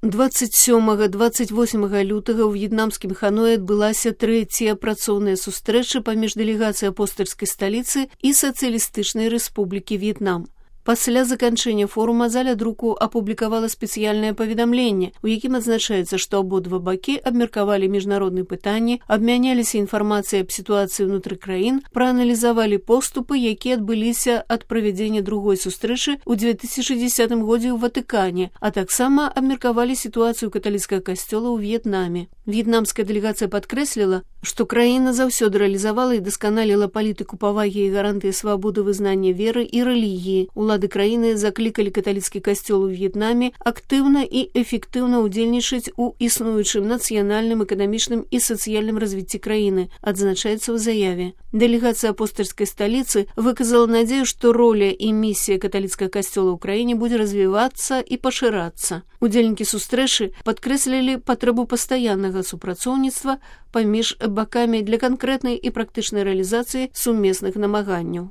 27-28 лютага ў в'етнамскім Ханоі адбылася трэцяя працоўная сустрэча паміж дэлегацыяй апостальскай сталіцы і Сацыялістычнай Рэспублікі В'етнам. Пасля заканчэння форума заля друку апублікавала спецыяльнае паведамленне, у якім адзначаецца, што абодва бакі абмеркавалі міжнародныя пытанні, абмяняліся інфармацыяй аб сітуацыі ўнутры краін, прааналізавалі поступы, якія адбыліся ад правядзення другой сустрэчы ў 2010 годзе ў Ватыкане, а таксама абмеркавалі сітуацыю каталіцкага касцёла ў В'етнаме. В'етнамская дэлегацыя падкрэсліла, што краіна заўсёды рэалізавала і дасканаліла палітыку павагі і гарантыі свабоды вызнання веры і рэлігіі. Улады краіны заклікалі каталіцкі касцёл у В'етнаме актыўна і эфектыўна ўдзельнічаць у існуючым нацыянальным, эканамічным і сацыяльным развіцці краіны, адзначаецца ў заяве. Дэлегацыя апостальскай сталіцы выказала надзею, што роля і місія каталіцкага касцёла ў краіне будзе развівацца і пашырацца. Удзельнікі сустрэчы падкрэслілі патрэбу пастаяннага супрацоўніцтва паміж бакамі для канкрэтнай і практычнай рэалізацыі сумесных намаганняў.